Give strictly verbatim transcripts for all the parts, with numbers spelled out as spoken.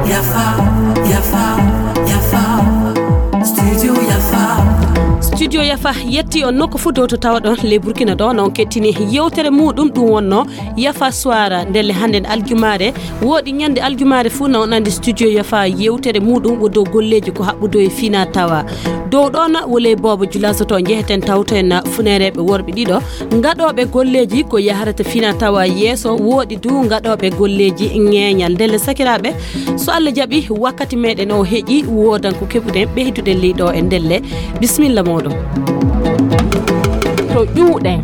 Yafa, yafa, yafa. Studio Yafa. Studio Yafa yetti on nokku fuu dow to tawaɗon ley Burkina ɗo, na on kettini yewtere muuɗum ɗum wonno Yafa Suwara. Ndelle hannden aljumaare, woɗi ñande aljumaare fuu na on anndi Studio Yafa yewtere muuɗum wo dow golleeji ko haɓɓudo e fina tawa. Dow ɗon wo ley Boobo Julaso to njeheten tawtoen funeereeɓe worɓe ɗiɗo, ngaɗooɓe golleeji ko yaharata fina tawa yeeso, woɗi du ngaɗooɓe golleeji ŋeeñal. Ndelle sakiraaɓe, so Allah jaɓi, wakkati meɗen o heƴi, woodan ko keɓuɗen ɓeyduɗen ley ɗo e ndelle. Bisimilla mooɗon. To ƴuuɗen.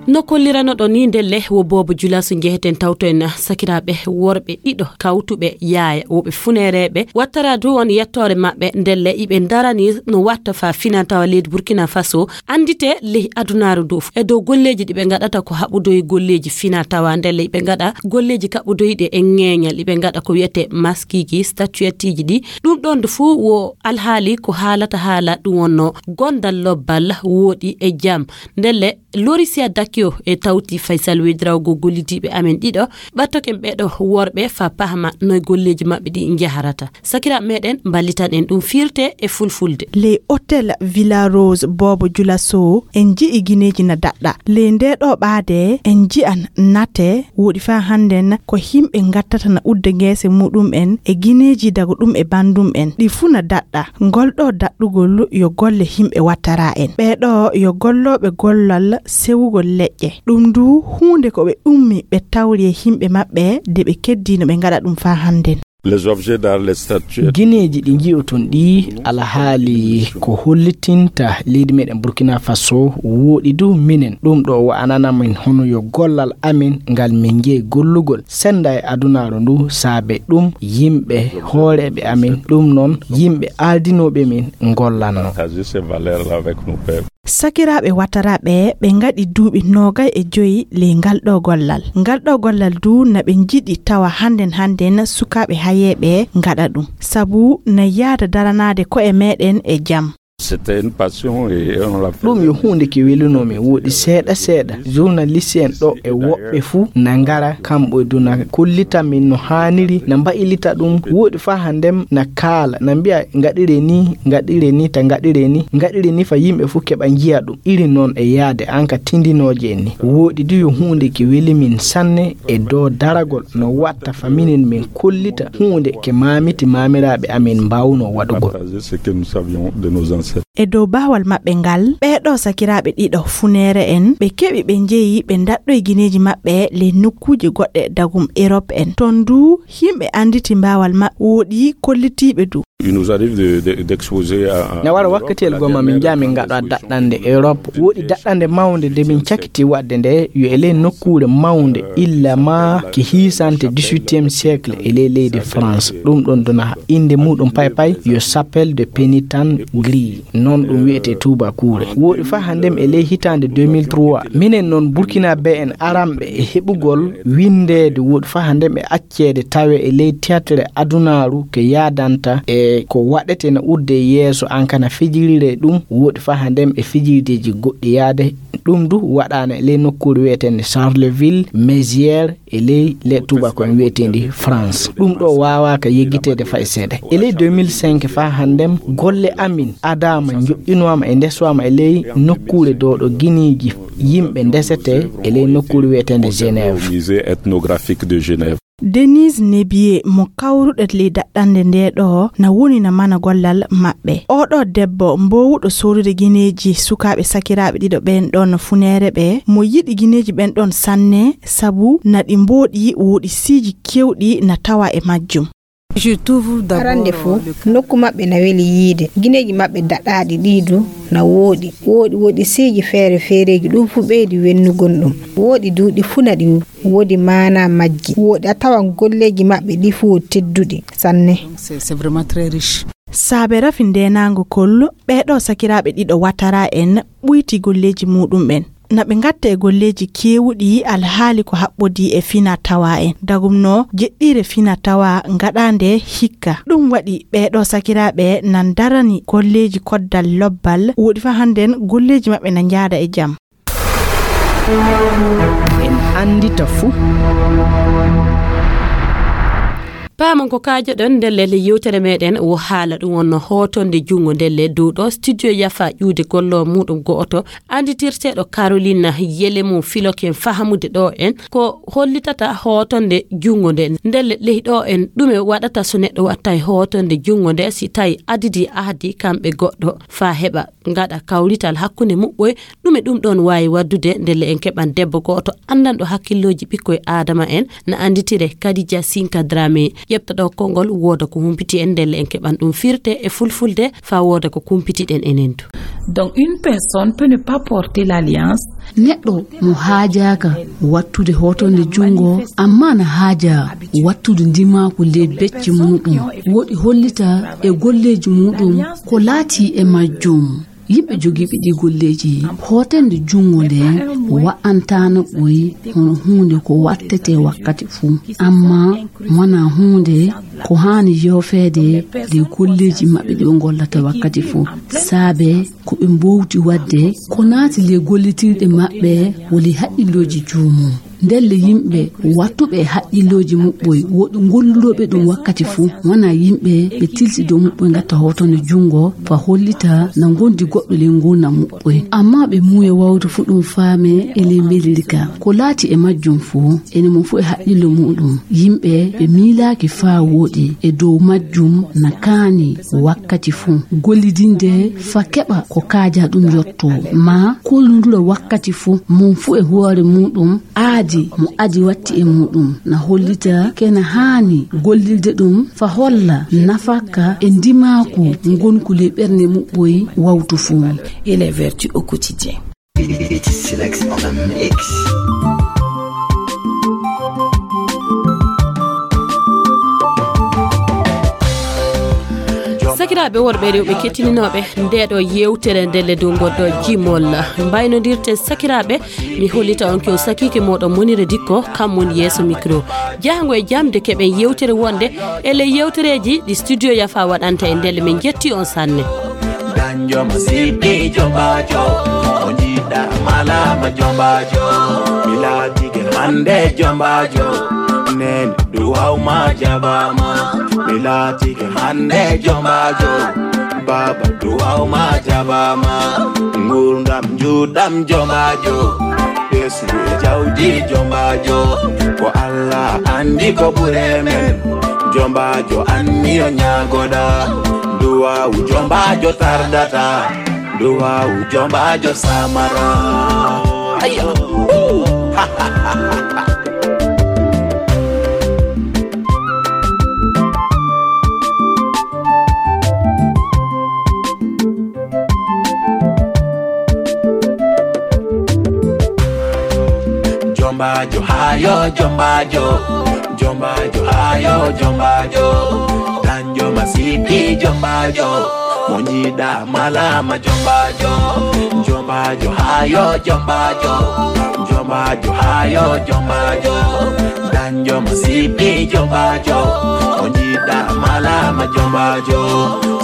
No kolliranoɗon ni ndelle wo Boobo Julaso njeheten tawtoen sakiraaɓe worɓe ɗiɗo kawtuɓe yaaya, woɓe funeereeɓe. Wattara du on yettoore maɓɓe ndelle iɓe ndarani no watta fa fina tawa leydi Burkina Faso anndite ley adunaaru ndu. E dow golleeji ɗi ɓe ngaɗata ko haɓudoyi golleeji fina tawa ndelle iɓe ngaɗa golleeji kaɓudoyiɗi e ŋeeñal, iɓe ngaɗa ko wiyete maskiiji, statuetteji ɗi. Ɗum ɗon ndu fuu wo alhaali ko haalata haala ɗum wonno gondal lobbal wooɗi e jam. Ndelle Lorisia Dakio e tawti Faysal Wedrawgo gollidiiɓe amen ɗiɗo, ɓattoken ɓeɗo worɓe fa pahma noy golleeji maɓɓe ɗi njaharata. Sakiraaɓe meɗen, mballitan en ɗum firte e fulfulde. Ley Hotel Villa Rose Boobo Julaso, en nji'i gineeji na daɗɗa. Ley nde ɗo ɓaade, en nji'an nate, woɗi fa hannden ko himɓe ngattata na udda geese muɗum en e gineeji dago ɗum e bandum en. Ɗi fuu na daɗɗa. Ngol ɗo daɗɗugol yo golle himɓe wattara en. Ɓee ɗo yo gollooɓe gollal sewugol leƴƴe. Ɗum du huunde ko ɓe ummi ɓe tawri e himɓe maɓɓe de ɓe keddii no ɓe ngaɗa ɗum fa hannden. Les objets d'art, les statues. Gineeji ɗi nji'oton ɗi alhaali ko hollitinta leydi meɗen Burkina Faso wooɗi du minen. Ɗum ɗo wa'anana min hono yo gollal amin ngal min njeyi gollugol senda e adunaaru ndu saabe ɗum yimɓe hooreeɓe amin, ɗum noon yimɓe aadinooɓe min ngollanno. Partager ces valeurs-là avec nos pères. Sakiraaɓe Wataraaɓe ɓe ngaɗi duuɓi noogay e joyi ley ngal ɗo gollal. Ngal ɗo gollal du na ɓe njiɗi tawa hannden hannden sukaaɓe hayeeɓe ngaɗa ɗum. Sabu na yaada daranaade ko'e meɗen e jam. C'était une passion et on l'a fait. Ɗum yo huunde ke welunoo min, wooɗi seeɗa seeɗa journaliste en ɗo e woɓɓe fuu na ngara, kamɓe du na kollita min no haaniri, na mbaylita ɗum, wooɗi faa hannden na kaala, na mbi'a ngaɗire ni, ngaɗire ni, ta ngaɗire ni, ngaɗire ni fa yimɓe fuu keɓa njiya ɗum. Iri noon e yaade an ka tindinooje en ni. Wooɗi du yo huunde ke weli min sanne e dow daragol no watta fa minen min kollita huunde ke maamiti maamiraaɓe amin mbaawno waɗugol. Partager ce que nous savions de nos ancêtres. E dow baawal maɓɓe ngal, ɓee ɗoo sakiraaɓe ɗiɗo funeere en, ɓe keɓi ɓe njeyi ɓe ndaɗɗoyi gineeji maɓɓe ley nokkuuje goɗɗe dagum Erop en. Toon du, yimɓe annditi baawal maɓɓe, wooɗi kollitiiɓe du. Il nous arrive de, de, d'exposer à, à, na wara wakkatiyel goo ma min njaha min ngaɗa daɗɗande Erop. Wooɗi daɗɗande mawnde nde min cakiti waɗde nde, yo e ley nokkuure mawnde, illa ma ke hiisante dix-huitième siècle e ley leydi France. Ɗum ɗon dona innde muuɗum pay pay yo Chapelle de Pénitence Gris. Noon ɗum wi'etee tuubakuure. Wooɗi faa hannden e ley hitaande deux mille trois, minen noon Burkinabé en aranɓe e heɓugol winndeede, wooɗi faa hannden e acceede tawe e ley théâtre adunaaru ke yaadanta e ko waɗetee na udde yeeso an kana fijirire ɗum, wooɗi faa hannden e fijirdeeji goɗɗi yaade. Ɗum du waɗaana e ley nokkuure wi'eteende Charleville-Mézières, e ley le tuubakon wi'eteendi France. Ɗum ɗo waawaaka yeggiteede fay seeɗa. E ley deux mille cinq faa hannden, golle amin adaama, njoƴƴinoama e ndesoama e ley nokkuure ɗo ɗo gineeji yimɓe ndesetee e ley nokkuure wi'eteende Genève. Au musée ethnographique de Genève. Denise Nebiye mo kawruɗe ley daɗɗande nde ɗo na woni na mana gollal maɓɓe. Oɗo debbo mboowuɗo soorude gineeji sukaaɓe sakiraaɓe ɗiɗo ɓeen ɗon funeere ɓe, mo yiɗi gineeji ɓeen ɗon sanne, sabu na ɗi mbooɗi, wooɗi siiŋi keewɗi na tawa e majjum. Arande fof, nokku maɓɓe na weli yiide. Gineeji maɓɓe daɗaaɗi ɗii du na wooɗi. Wooɗi, wooɗi siiŋi feere feereeji, ɗum fof ɓeydi wennugol ɗum. Wooɗi du ɗi fuu na ɗi woodi maanaa majji. Wooɗi a tawan golleeji maɓɓe ɗi fof tedduɗi sanne. C'est, c'est vraiment très riche. Saabe rafi ndeenaango kol, ɓee ɗoo sakiraaɓe ɗiɗo Watara en ɓuyti golleeji muuɗum ɓen. na ɓe ngatta e golleeji keewuɗi alhaali ko haɓɓodii e fina tawa en. Dagum no jeɗɗiire fina tawa ngaɗaande hikka. Ɗum waɗi ɓeeɗo sakiraaɓe nan darani golleeji koddal lobbal, woɗi fa hannden golleeji maɓɓe na njaada e jam. En anndita fuu. Paamon ko kaajoɗon ndelle le yewtere meɗen wo haala ɗum wonno hootonde junngo ndelle dow ɗo studio yafa ƴuude gollo muɗum go'oto anditirteɗo Carolina Yelemu filoken fahamude ɗo en ko hollitata hootonde junngo nde ndelle ley ɗo en ɗume waɗata so neɗɗo wattay hootonde junngo nde si tawi adidi ahdi kamɓe goɗɗo fa heɓa ngaɗa kawrital hakkunde muɓɓoy. Ɗume ɗum ɗon waawi waddude ndelle en keɓan debbo go'oto anndanɗo hakkillooji ɓikkoy aadama en na annditire Kadija Sinka Drame ƴeɓta ɗo konngol wooda ko humpiti en ndelle en keɓan ɗum firte e fulfulde fa wooda ko kumpitiɗen enen du. Donc une personne peut ne pas porter l'alliance. Neɗɗo mo haajaaka wattude hootonde junngo amma na haaja wattude ndimaaku ley becce muɗum woɗi hollita e golleeji muɗum ko laati e majjum. Yimɓe jogiiɓe ɗi golleeji hootende junngo nde wa'antaano ɓoy hono huunde ko wattete wakkati fuu amma wona huunde ko haani yoofeede nde golleeji maɓɓe ɗi ɓe ngollata wakkati fuu saabe ko ɓe mbowti waɗde ko naati le gollitirɗe maɓɓe woli haqqillooji joomum. Ndelle yimɓe wattuɓe e haqqillooji muɓɓoy woɗi golludooɓe ɗum wakkati fuu wona yimɓe ɓe tilsi dow muɓɓoy ngatta hootonde junngo fa hollita na ngondi goɗɗo ley ngurnam muɓɓoy amma ɓe muuya wawtu fuu ɗum faame e ley mbelndi ka ko laati e majjum fuu ene mum fuu e haqqillo muɗum yimɓe ɓe miilaaki faa wooɗi e dow majjum na kaani wakkati fuu gollidinde fa keɓa ko kaaja ɗum yotto ma kollundura wakkati fuu mum fuu e hoore muɗum aadi mo adi watti e muɗum na hollita kena haani gollirde ɗum fa holla nafaka e ndimaaku ngonku ley ɓernde muɓɓoy wawtu fuu. Et les vertus au quotidien. It's Silex on the mix. Sakiraaɓe worɓe e rewɓe kettininooɓe ndeeɗo yewtere ndelle dow ngonɗo jimol mbaynodirte sakiraaɓe mi hollita on ko sakiike mooɗon monire dikko kam woni yeeso micro jahango e jam de keɓen yewtere wonde e ley yewtereeji ɗi studio yafa waɗanta e ndelle min jetti on sanne. Danjo ma sipi jombajo o jiɗa malama jombajo mi laatike hande jombajo nen duwaw ma jabama mi laatike hande jombajo baba duwaw ma jabama ngurdam juɗam jombajo ɓesngu e jawdi jombajo ko allah andi ko ɓure men jombajo anniyo ñagoɗa duwawu jombajo tardata duwawu jombajo samara. Jombajo hayo jombajo jombajo hayo jombajo danjo masipi jombajo mo jiɗa malama jombajo jombajo hayo jombajo jombajo hayo jombajo danjo masipi jombajo mo jiɗa malama jombajo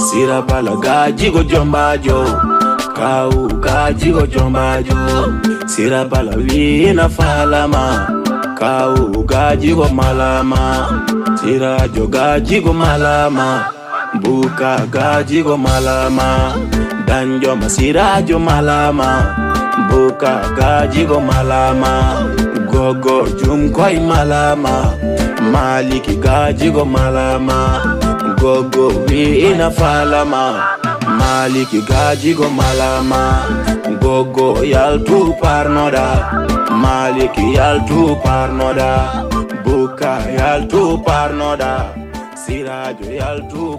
sira bala gajigo jombajo kawu gajigo jombajo sira bala wina falama kawu gajigo malama sirajo gajigo malama buka gajigo malama danjo ma sirajo malama buka gajigo malama gogo jumkoi malama maliki gajigo malama gogo wi'ina falama maliki gajigo malama gogo yaltu parnoda maliki yaltu parnoda buka yaltu parnoda sirajo yaltu